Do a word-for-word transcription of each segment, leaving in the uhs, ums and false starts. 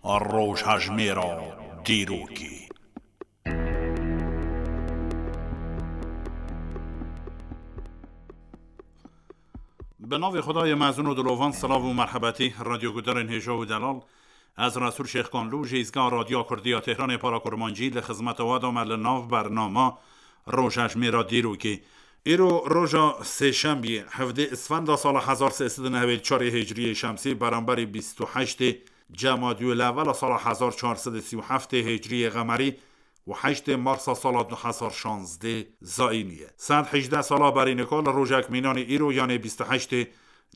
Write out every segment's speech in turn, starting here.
Rojhejmêra dîrokê. Bi navê Xwedayê mezin û dilovan, silav û merhebetî, radyogudarên hêja û delal. Ez Resûl Şêxkanlû ji Îzgeha Radyoya Kurdî ya Tehranê para kurmancî li xizmeta we de me li nav bernama Rojhejmêra dîrokê. Îro roja sêşembiyê, hevdê Isfenda sala hezar sê sed û nehwêd çarê Hicriyê Şemsî, beramberî bîst û heştê Cemadiyul Ewwela sala hezar çar sed û sî û heftê Hicriyê Qemerî û heştê Marsa sala du hezar şazdê Zayînî ye. Sed hejdeh sala berî nika li rojek mînanî îro, yanê bîst û heştê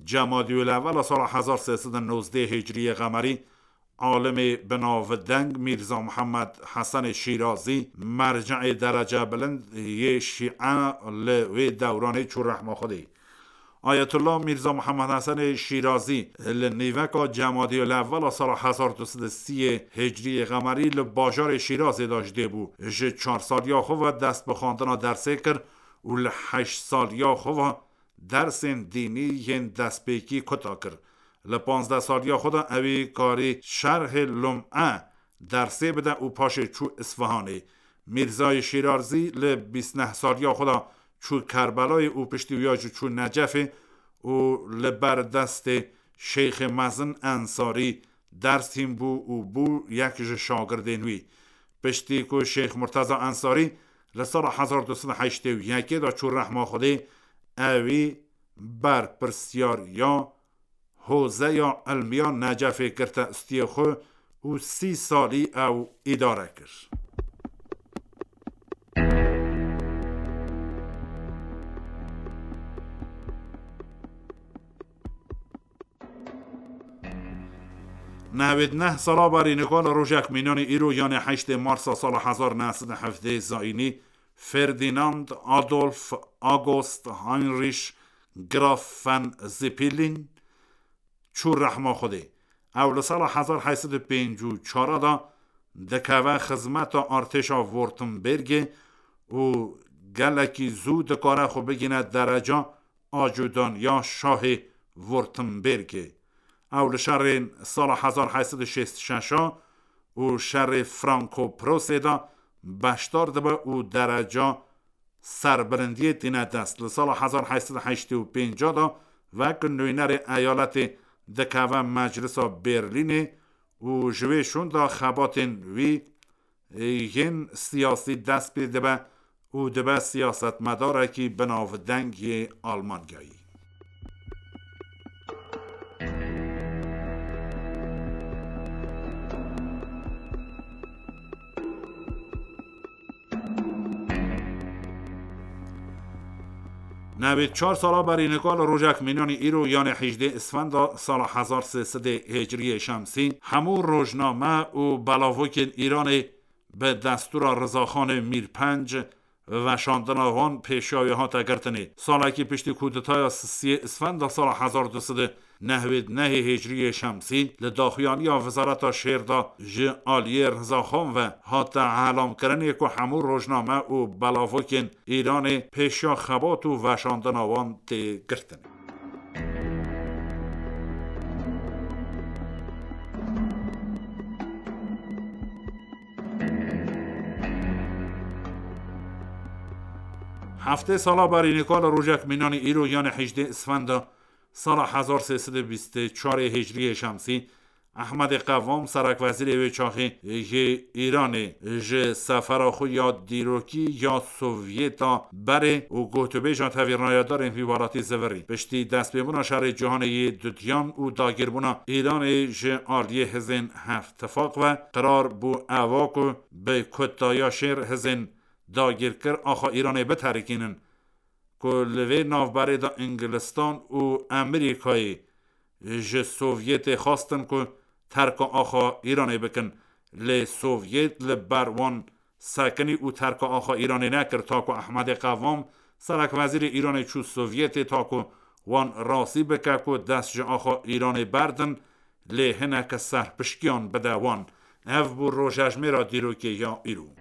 Cemadiyul Ewwela sala hezar sê sed û nozdê Hicriyê Qemerî, alimê bi navdeng Mîrza Mihemed Hesenê Şîrazî, merceê derece bilind yê Şîe li wê dewranê çû rehma Xwedê. Ayetullah Mîrza Mihemed Hesenê Şîrazî li nîveka Cemadiyul Ewwela sala hezar du sed û sî Hicriyê Qemerî li bajarê Şîrazê de ji dê bû. Ji çar saliya xwe ve dest bi xwendina dersê kir û li heşt saliya xwe ve dersên dînî yên destpêkî kuta kir. Li panzdeh saliya xwe de ewî karî şerhê Lum'e dersê bide û paşê çû Isfihanê. Mîrzayê Şîrazî li bîst neh saliya xwe de çû Kerbelayê û piştî wiya jî çû Necefê û li ber destê Şeyxê Mezin Ensarî ders hîn bû û bû yek ji şagirdên wî. Piştî ku Şeyx Murteza Ensarî li sala hezar du sed û heştê û yekê de çû rehma Xwedê, ewî berpirsiyariya Hozeya Ilmiya Necefê girte stiyê xwe û sî salî ew îdare kir. Nehwêd neh sala berî nika li rojek mînanî îro, yanê heştê Marsa sala hezar neh sed û hevdeh Zayînî, Ferdinand Adolf August Heinrich Graf von Zeppelin çû rehma Xwedê. Ew li sala hezar heşt sed û pêncî û çar de dikeve xizmeta artêşa Württembergê û gelekî zû dikare xwe bigîne dereca acûdaniya şahê Württembergê. Ew li şerên sala hezar heşt sed û şêst û şeş û şerê Franco-Prusê de beşdar dibe û dereca serbilindiyê tîne dest. Li sala hezar heşt sed û heştê û pênc de wek nûnerê eyaletê dikeve Meclisa Berlînê û ji wê şûnda xebatên wî yên siyasî dest pê dibe û dibe siyasetmedarekî binavdeng yê Almanyayî. Newêd çar sala berî nika li rojek mînanî îro, yanê hejdê Isfenda sala hezar sê sedê Hicriyê Şemsî, hemû rojname û belavokên Îranê bi destûra Rizaxanê Mîrpenc veşandina wan pêşiya wê hate girtinê. Salekî piştî kûdetaya sisiyê Isfenda sala hezar du sed û nehwêd nehê Hicriyê Şemsî, li daxuyaniya Wezareta Şêr de ji aliyê Rizaxan ve hate elamkirinê ku hemû rojname û belavokên Îranê pêşiya xebat û veşandina wan tê girtin. Heftê sala berî nika li rojek mînanî îro, yanê hejdê Isfenda sala hezar sê sed û bîst û çarê Hicriyê Şemsî, Ehmedê Qevam, serekwezîrê wê çaxê yê Îranê, ji sefera xwe ya dîrokî ya Sovyeta berê û gotûbêja tevî rayedarên vî welatî zivirî. Piştî destpêbûna şerê cîhanê yê dudiyan û dagîrbûna Îranê ji aliyê hizên Hevtifaq ve, qirar bû eva ku bi kutaya şêr hizên dagîrkir axa Îranê biterikînin, ku li vê navberê de Îngilistan û Amerîkayê ji Sovyetê xwestin ku terka axa Îranê bikin. Lê Sovyet li ber wan sekinî û terka axa Îranê nekir, ta ku Ehmedê Qevam, serekwezîrê Îranê, çû Sovyetê, ta ku wan razî bike ku dest ji axa Îranê berdin, lê hineke serpişkiyan bide wan. Ev bû rojejmêra dîrokê ya îro.